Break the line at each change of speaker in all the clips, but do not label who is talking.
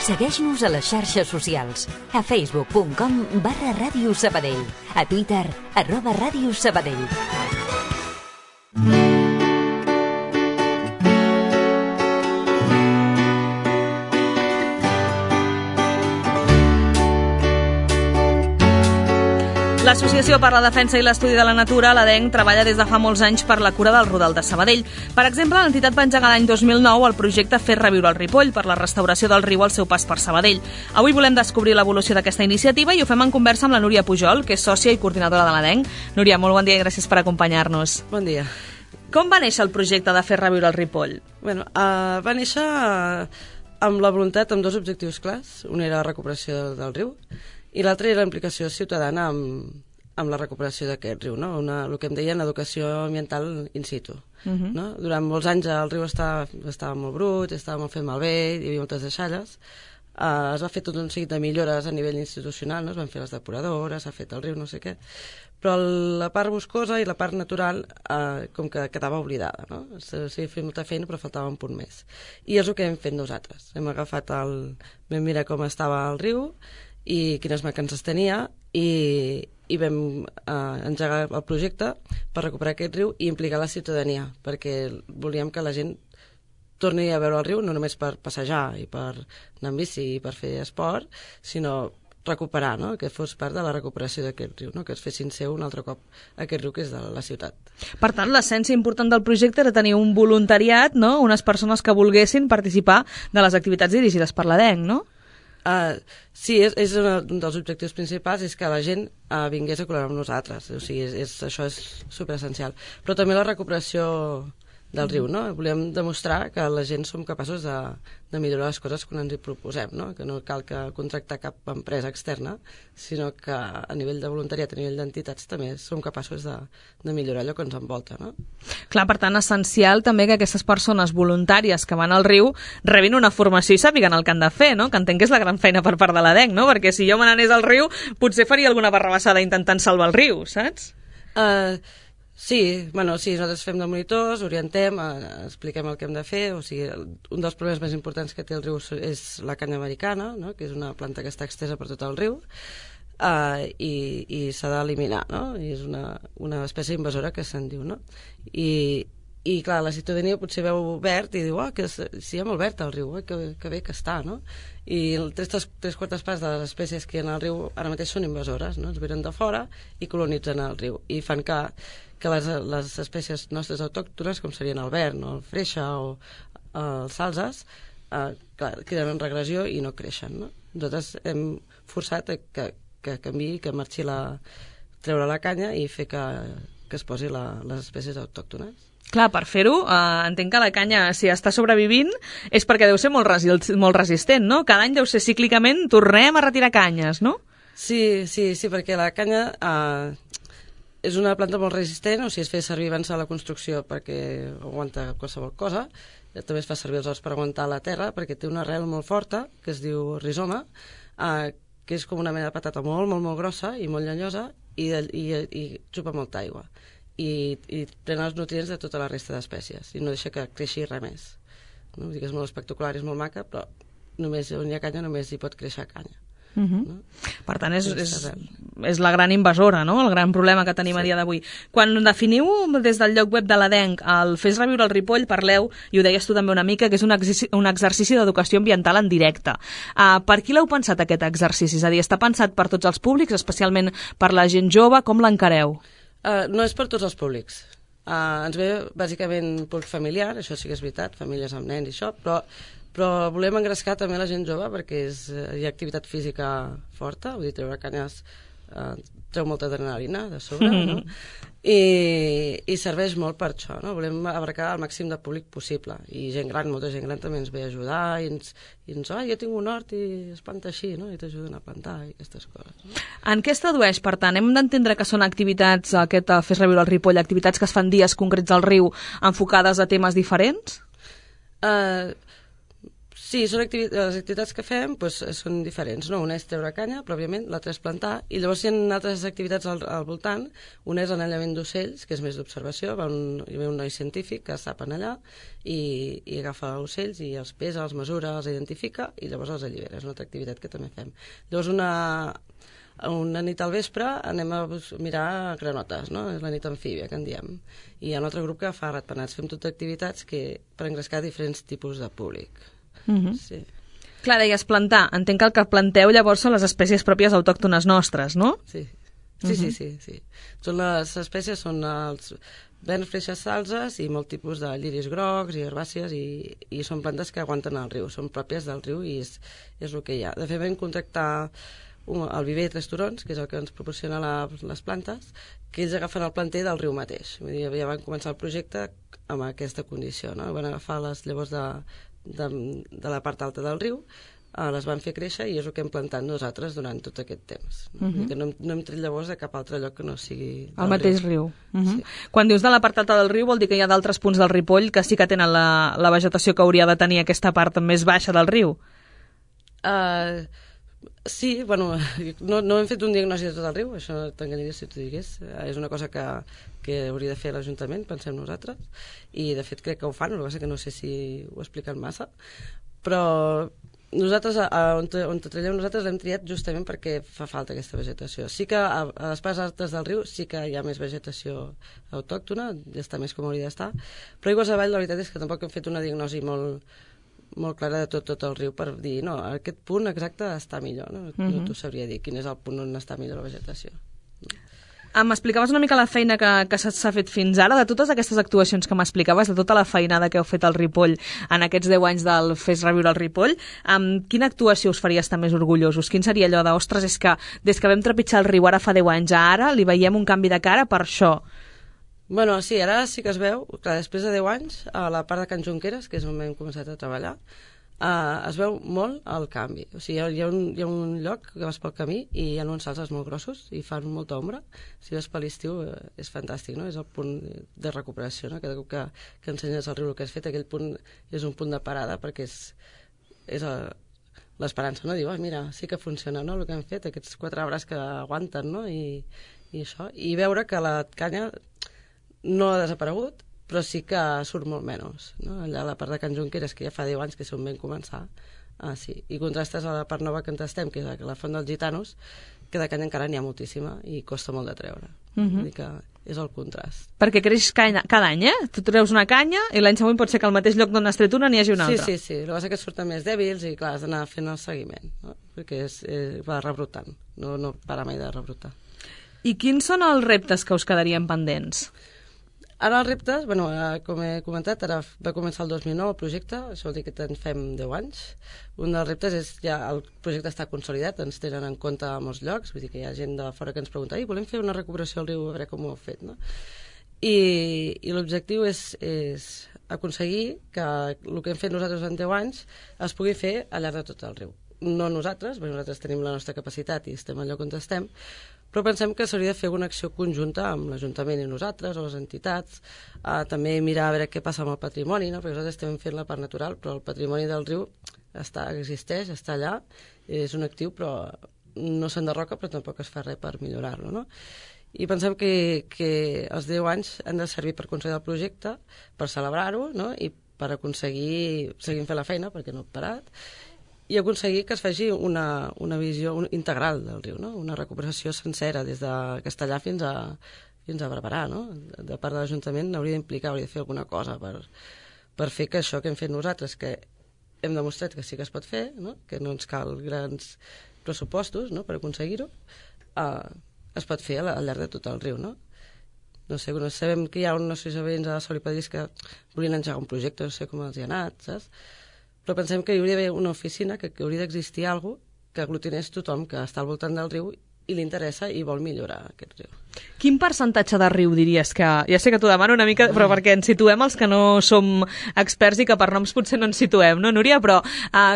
Segueix-nos a les xarxes socials, a facebook.com/Ràdio Sabadell, a Twitter, @Ràdio Sabadell.
L'Associació per la Defensa i l'Estudi de la Natura, l'ADENC, treballa des de fa molts anys per la cura del Rodal de Sabadell. Per exemple, l'entitat va engegar l'any 2009 el projecte Fer reviure el Ripoll per la restauració del riu al seu pas per Sabadell. Avui volem descobrir l'evolució d'aquesta iniciativa i ho fem en conversa amb la Núria Pujol, que és sòcia i coordinadora de l'ADENC. Núria, molt bon dia i gràcies per acompanyar-nos.
Bon dia.
Com va néixer el projecte de Fer reviure el Ripoll?
Va néixer amb la voluntat, amb dos objectius clars. Un era la recuperació del riu i l'altre era la implicació ciutadana amb la recuperació d'aquest riu, no? El que em deien educació ambiental in situ. No? Durant molts anys el riu estava molt brut, estava molt fet malbé, hi havia moltes deixalles. Es va fer tot un seguit de millores a nivell institucional, no? Es van fer les depuradores, s'ha fet el riu, no sé què, però la part boscosa i la part natural com que quedava oblidada, no? S'havia fet molta feina però faltava un punt més. I és el que hem fet nosaltres. Hem agafat vam mirar com estava el riu i quines mancances tenia i vam engegar el projecte per recuperar aquest riu i implicar la ciutadania, perquè volíem que la gent torni a veure el riu no només per passejar i per anar en bici i per fer esport, sinó recuperar, no? Que fos part de la recuperació d'aquest riu, no? Que es fessin seu un altre cop aquest riu que és de la ciutat.
Per tant, l'essència important del projecte era tenir un voluntariat, no? Unes persones que volguessin participar de les activitats dirigides per l'ADENC, no?
Sí, és un dels objectius principals, és que la gent vingués a col·laborar amb nosaltres. O sigui, això és superessencial. Però també la recuperació del riu, no? Volem demostrar que la gent som capaços de millorar les coses quan ens hi proposem, no? Que no cal contractar cap empresa externa, sinó que a nivell de voluntariat, a nivell d'entitats, també som capaços de millorar allò que ens envolta, no?
Clar, per tant, essencial també que aquestes persones voluntàries que van al riu rebin una formació i sàpiguen el que han de fer, no? Que entenc que és la gran feina per part de l'ADENC, no? Perquè si jo me n'anés al riu, potser faria alguna barrabassada intentant salvar el riu, saps?
Sí, nosaltres fem de monitors, orientem, expliquem el que hem de fer, o sigui, un dels problemes més importants que té el riu és la canya americana, no? Que és una planta que està extesa per tot el riu, i s'ha d'eliminar, no? I és una espècie invasora que se'n diu, no? I clar, la ciutadania potser veu verd i diu, que sí, hi ha molt verd al riu, que bé que està, no? I tres quartes parts de les espècies que hi ha al riu ara mateix són invasores, no? Ens venen de fora i colonitzen el riu i fan que les espècies nostres autòctones, com serien el vern o el freixa o els salzes, queden en regressió i no creixen, no? Nosaltres hem forçat que canviï, que marxi treure la canya i fer que es posi les espècies autòctones.
Clar, per fer-ho, entenc que la canya, si està sobrevivint, és perquè deu ser molt resistent, no? Cada any deu ser cíclicament, tornem a retirar canyes, no?
Sí, perquè la canya és una planta molt resistent, o sigui, es feia servir abans de la construcció perquè aguanta qualsevol cosa, també es fa servir els horts per aguantar la terra, perquè té una arrel molt forta, que es diu rizoma, que és com una mena de patata molt, molt, molt grossa i molt llenyosa, i xupa molta aigua. I pren els nutrients de tota la resta d'espècies i no deixa que creixi res més, no? Vull dir que és molt espectacular, és molt maca, però només on hi ha canya només hi pot créixer canya.
No? Per tant, és la gran invasora, no? El gran problema que tenim a dia d'avui. Quan definiu des del lloc web de l'ADENC el Fes reviure el Ripoll, parleu, i ho deies tu també una mica, que és un exercici d'educació ambiental en directe. Per qui l'heu pensat aquest exercici? És a dir, està pensat per tots els públics, especialment per la gent jove, com l'encareu?
No és per tots els públics. Ens ve bàsicament públic familiar, això sí que és veritat, famílies amb nens i això, però volem engrescar també la gent jove perquè hi ha activitat física forta, vull dir, treure canyes treu molta adrenalina de sobre, no? I serveix molt per això, no? Volem abarcar el màxim de públic possible, i gent gran, molta gent gran també ens ve a ajudar i ens jo tinc un hort i es planta així, no? I t'ajuden a plantar i aquestes coses, no?
En què es tradueix, per tant? Hem d'entendre que són activitats, aquest Fes reviure el Ripoll, activitats que es fan dies concrets al riu enfocades a temes diferents?
Sí, les activitats que fem són diferents, no? Una és treure canya, pròpiament, l'altra és plantar, i llavors hi ha altres activitats al voltant. Una és l'anellament d'ocells, que és més d'observació, hi ve un noi científic que s'apen allà i agafa ocells i els pesa, els mesura, els identifica i llavors els allibera. És una altra activitat que també fem. Llavors una nit al vespre anem a mirar granotes, no? És la nit amfíbia, que en diem. I hi ha un altre grup que fa ratpenats. Fem totes activitats per engrescar diferents tipus de públic. Sí.
Clar, deies plantar. Entenc que el que planteu llavors són les espècies pròpies autòctones nostres, no?
Sí. Les espècies són els verns, freixes, salzes i molt tipus de lliris grocs i herbàcies i són plantes que aguanten al riu, són pròpies del riu i és el que hi ha. De fet, vam contractar el viver de Tres Turons, que és el que ens proporciona les plantes, que ells agafen el planter del riu mateix. Vull dir, ja van començar el projecte amb aquesta condició, no? Van agafar les llavors de la part alta del riu, les van fer créixer i és el que hem plantat nosaltres durant tot aquest temps. Que no hem tret llavors de cap altre lloc que no sigui
el mateix riu. Sí. Quan dius de la part alta del riu vol dir que hi ha d'altres punts del Ripoll que sí que tenen la vegetació que hauria de tenir aquesta part més baixa del riu?
Sí, bueno, no hem fet un diagnòstic de tot el riu, això t'enganyaria si t'ho digués. És una cosa que hauria de fer l'Ajuntament, pensem nosaltres, i de fet crec que ho fan, el que passa que no sé si ho expliquen massa, però nosaltres, on treballem nosaltres, l'hem triat justament perquè fa falta aquesta vegetació. Sí que a les parts altes del riu sí que hi ha més vegetació autòctona, ja està més com hauria d'estar, però aigües avall la veritat és que tampoc hem fet una diagnosi molt clara de tot el riu per dir, no, aquest punt exacte està millor, no t'ho sabria dir quin és el punt on està millor la vegetació.
M'explicaves una mica la feina que s'ha fet fins ara, de totes aquestes actuacions que m'explicaves, de tota la feinada que heu fet al Ripoll en aquests 10 anys del Fes Reviure el Ripoll, amb quina actuació us faria estar més orgullosos? Quin seria allò de, ostres, és que des que vam trepitjar el riu ara fa 10 anys a ara li veiem un canvi de cara per això?
Bueno, sí, ara sí que es veu, clar, després de 10 anys, a la part de Can Junqueras, que és on hem començat a treballar, es veu molt el canvi. O sigui, hi ha un lloc que vas pel camí i hi ha uns salzes molt grossos i fan molta ombra. Si vas per l'estiu és fantàstic, no? És el punt de recuperació, no? Cada cop que ensenyes al riu el que has fet, aquell punt és un punt de parada perquè és l'esperança, no? Diu, mira, sí que funciona, no?, el que han fet, aquests 4 arbres que aguanten, no? I això. I veure que la canya no ha desaparegut, però sí que surt molt menys, no? Allà a la part de Can Junqueras, que ja fa 10 anys que és on vam començar, sí. I contrastes a la part nova que estem, que és la Font dels Gitanos, que de canya encara n'hi ha moltíssima i costa molt de treure. Vull dir que és el contrast.
Perquè creix cada any, Tu treus una canya i l'any següent pot ser que al mateix lloc d'on has tret una n'hi hagi una altra.
Sí. El que passa que surten més dèbils i, clar, has d'anar fent el seguiment, no? Perquè va rebrotant, no para mai de rebrotar.
I quins són els reptes que us quedarien pendents?
Ara els reptes, com he comentat, ara va començar el 2009 el projecte, això vol dir que en fem 10 anys. Un dels reptes és ja el projecte està consolidat, ens tenen en compte a molts llocs, vull dir que hi ha gent de fora que ens pregunta volem fer una recuperació al riu, a veure com ho heu fet, no? I l'objectiu és aconseguir que el que hem fet nosaltres en 10 anys es pugui fer al llarg de tot el riu. No nosaltres, perquè nosaltres tenim la nostra capacitat i estem al lloc on estem, però pensem que s'hauria de fer una acció conjunta amb l'Ajuntament i nosaltres, o les entitats, també mirar a veure què passa amb el patrimoni, no? Perquè nosaltres estem fent la part natural, però el patrimoni del riu existeix, està allà, és un actiu, però no s'enderroca, però tampoc es fa res per millorar-lo, no? I pensem que els 10 anys han de servir per aconseguir el projecte, per celebrar-ho, no? I per aconseguir seguir fent la feina, perquè no he parat, i aconseguir que es faci una visió integral del riu, no? Una recuperació sencera des de Castellà fins a Barberà, no? De part de l'Ajuntament hauria d'implicar, hauria de fer alguna cosa per fer que això que hem fet nosaltres, que hem demostrat que sí que es pot fer, no? Que no ens cal grans pressupostos, no?, per aconseguir-ho, es pot fer al llarg de tot el riu, no? No sé, sabem que hi ha una associació de veïns a Sol i Padrís que volien engegar un projecte, no sé com els hi ha anat, saps? Però pensem que hi hauria d'haver una oficina, que hauria d'existir alguna cosa que aglutinés tothom que està al voltant del riu i li interessa i vol millorar aquest riu.
Quin percentatge de riu diries que... Ja sé que t'ho demano una mica, però perquè ens situem els que no som experts i que per noms potser no ens situem, no, Núria? Però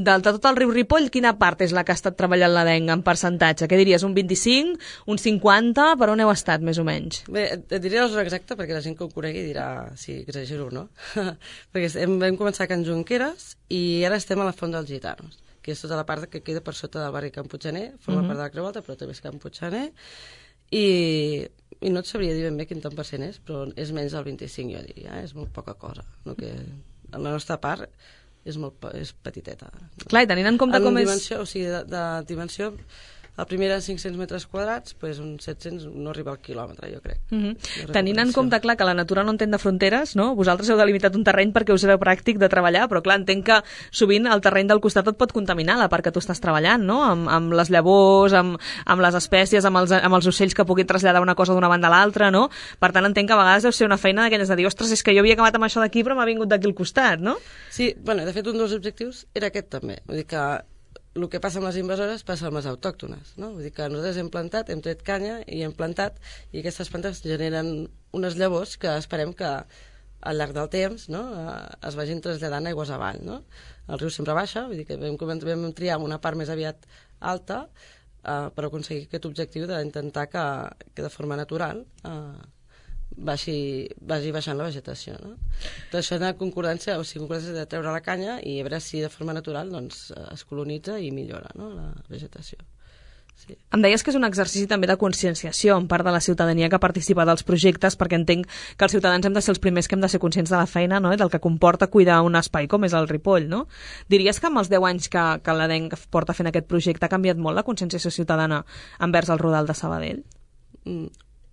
de tot el riu Ripoll, quina part és la que ha estat treballant l'ADENC en percentatge? Què diries, un 25, un 50? Per on heu estat, més o menys?
Bé, et diré la zona exacta perquè la gent que ho conegui dirà si exagero o no. Perquè vam començar a Can Junqueras i ara estem a la Font dels Gitanos, que és tota la part que queda per sota del barri Can Puiggener, forma part de la Creu Alta, però també és Can Puiggener, i no et sabria dir ben bé quin tant % és, però és menys del 25, jo diria, és molt poca cosa. No? Que en la nostra part és petiteta.
Clar, i tenint en compte com
dimensió, o sigui, de dimensió, la primera 500 metres quadrats, doncs uns 700 no arriba al quilòmetre, jo crec.
Tenint en compte, clar, que la natura no entén de fronteres, no? Vosaltres heu delimitat un terreny perquè us era pràctic de treballar, però clar, entenc que sovint el terreny del costat et pot contaminar la part que tu estàs treballant, no? Amb les llavors, amb les espècies, amb els ocells que puguin traslladar una cosa d'una banda a l'altra, no? Per tant, entenc que a vegades deu ser una feina d'aquelles de dir, ostres, és que jo havia acabat amb això d'aquí, però m'ha vingut d'aquí al costat, no?
Sí, bueno, de fet, un dels objectius era aquest també. Vull dir que el que passa amb les invasores passa amb les autòctones, no? Vull dir que nosaltres hem plantat, hem tret canya i hem plantat, i aquestes plantes generen unes llavors que esperem que al llarg del temps, no, es vagin traslladant aigües avall, no? El riu sempre baixa, vull dir que vam triar una part més aviat alta per aconseguir aquest objectiu d'intentar que de forma natural vagi baixant la vegetació, no? Tot això és una concordància, o sigui, concordància de treure la canya i a veure si de forma natural doncs, es colonitza i millora, no, la vegetació. Sí.
Em deies que és un exercici també de conscienciació en part de la ciutadania que participa dels projectes, perquè entenc que els ciutadans hem de ser els primers que hem de ser conscients de la feina, no? I del que comporta cuidar un espai com és el Ripoll, no? Diries que amb els 10 anys que l'ADENC porta fent aquest projecte ha canviat molt la conscienciació ciutadana envers el Rodal de Sabadell?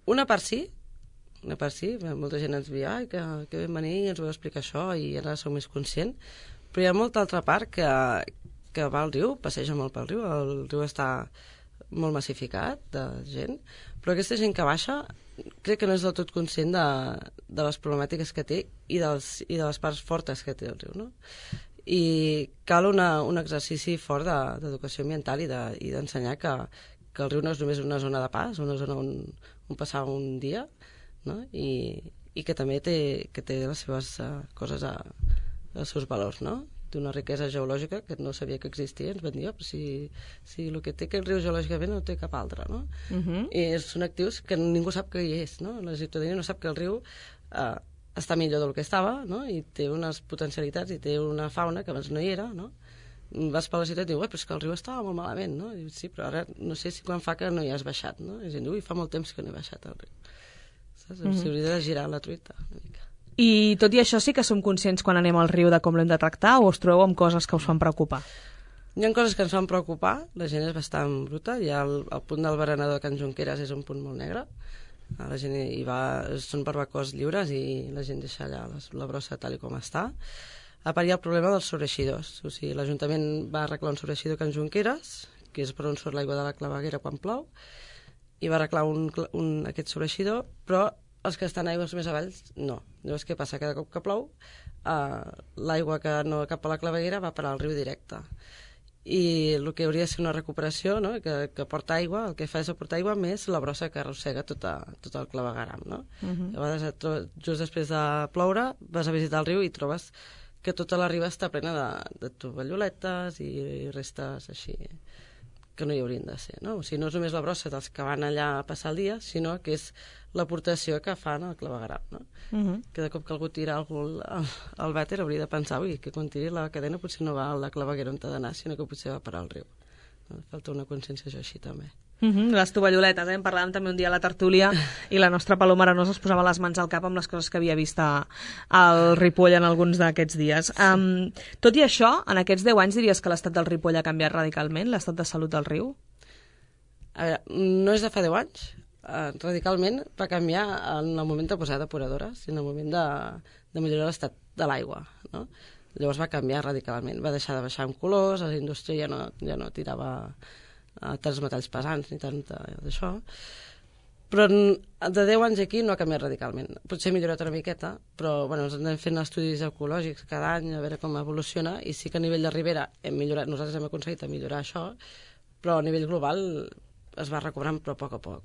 Una part sí, molta gent ens veia que vam venir i ens vau explicar això i ara som més conscient, però hi ha molta altra part que va al riu, passeja molt pel riu, el riu està molt massificat de gent, però aquesta gent que baixa crec que no és del tot conscient de les problemàtiques que té i de les parts fortes que té el riu, no? I cal un exercici fort d'educació ambiental i d'ensenyar que el riu no és només una zona de pas, una zona on passar un dia, no? I que també té les seves coses, els seus valors, no? Té una riquesa geològica que no sabia que existia, ens van dir, però si el que té aquest riu geològicament no té cap altre, no? I són actius que ningú sap que hi és, no? La ciutadania no sap que el riu està millor del que estava, no? I té unes potencialitats i té una fauna que abans no hi era, no? Vas per la ciutat i dius, però és que el riu estava molt malament, no? I dius, sí, però ara no sé si quan fa que no hi has baixat, no? I gent diu, fa molt temps que no he baixat al riu. S'hauria de girar la truita una mica.
I tot i això sí que som conscients quan anem al riu de com l'hem de tractar o us trobeu amb coses que us fan preocupar?
Hi ha coses que ens fan preocupar, la gent és bastant bruta, i el punt del berenador de Can Junqueras és un punt molt negre, la gent hi va, són barbacoes lliures i la gent deixa allà la brossa tal com està. A part hi ha el problema dels sobreeixidors, o sigui, l'Ajuntament va arreglar un sobreeixidor a Can Junqueras, que és per on surt l'aigua de la claveguera quan plou, i va arreglar aquest sobreeixidor, però els que estan aigües més avall, no. Llavors, què passa? Cada cop que plou, l'aigua que no cap a la claveguera va parar al riu directe. I el que hauria de ser una recuperació, no? que porta aigua, el que fa és aportar aigua més la brossa que arrossega tot el clavegueram, no? A vegades, just després de ploure, vas a visitar el riu i trobes que tota la riba està plena de tovalloletes i restes així que no hi haurien de ser, no? O sigui, no és només la brossa dels que van allà a passar el dia, sinó que és l'aportació que fan al clavegueram, no? Que de cop que algú tira algú al vàter hauria de pensar, ui, que quan tiri la cadena potser no va a la claveguera on t'ha d'anar, sinó que potser va parar al riu. Falta una conscienciació així també.
Les tovalloletes, en parlàvem també un dia a la tertúlia i la nostra Paloma Arenós es posava les mans al cap amb les coses que havia vist al Ripoll en alguns d'aquests dies. Tot i això, en aquests 10 anys diries que l'estat del Ripoll ha canviat radicalment, l'estat de salut del riu?
A veure, no és de fa 10 anys. Radicalment va canviar en el moment de posar depuradores i en el moment de millorar l'estat de l'aigua, no? Llavors va canviar radicalment, va deixar de baixar en colors, la indústria ja no tirava tants metalls pesants ni tant d'això, però de 10 anys aquí no ha canviat radicalment. Potser ha millorat una miqueta, però bueno, ens anem fent estudis ecològics cada any a veure com evoluciona, i sí que a nivell de ribera hem millorat, nosaltres hem aconseguit millorar això, però a nivell global es va recuperant, però a poc a poc.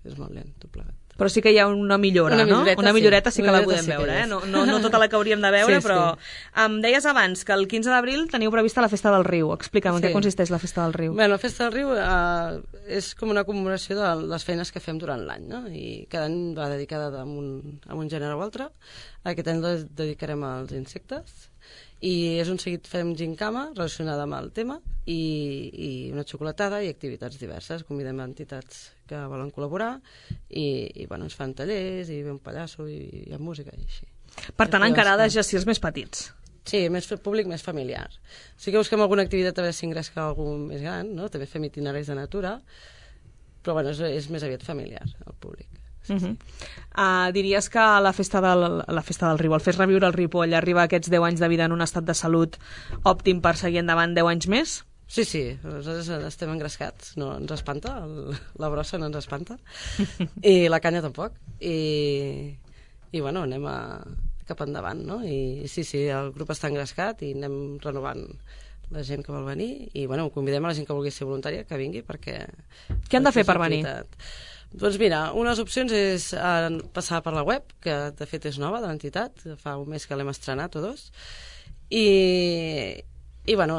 És molt lent, tot plegat.
Però sí que hi ha una millora, no? Una milloreta sí que la podem veure, No tota la que hauríem de veure, però... Em deies abans que el 15 d'abril teniu prevista la Festa del Riu. Explica'm, en què consisteix la Festa del Riu?
Bé, la Festa del Riu és com una commemoració de les feines que fem durant l'any, no? I cada any va dedicada a un gènere o altre. Aquest any la dedicarem als insectes. I és un seguit, fem gincama relacionada amb el tema i una xocolatada i activitats diverses. Convidem a entitats que volen col·laborar i bueno, ens fan tallers i ve un pallasso i hi ha música i així.
Per tant, encarades ja si els més petits.
Sí, més públic, més familiar. Sí que busquem alguna activitat a veure si ingresca algú més gran, no? També fem itineraris de natura, però bueno, és més aviat familiar, el públic. Sí, sí.
Diries que la festa del Riu, el Fes Reviure el Ripoll, arriba a aquests 10 anys de vida en un estat de salut òptim per seguir endavant 10 anys més?
Sí, nosaltres estem engrescats, no ens espanta, la brossa no ens espanta, i la canya tampoc, i bueno, anem cap endavant, no? I sí, el grup està engrescat i anem renovant la gent que vol venir, i bueno, convidem a la gent que vulgui ser voluntària que vingui perquè...
Què han de fer per venir?
Doncs mira, unes opcions és passar per la web, que de fet és nova de l'entitat, fa un mes que l'hem estrenat o dos, i bueno,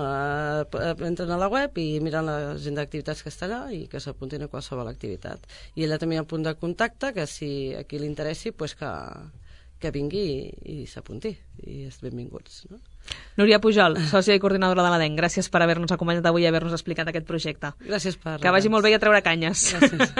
entren a la web i miren l'agenda d'activitats que està allà i que s'apuntin a qualsevol activitat. I allà també hi ha un punt de contacte que si a qui li interessi, pues que vingui i s'apunti, i és benvinguts, no?
Núria Pujol, sòcia i coordinadora de l'ADENC, gràcies per haver-nos acompanyat avui i haver-nos explicat aquest projecte.
Gràcies per...
Que vagi molt bé a treure canyes.
Gràcies.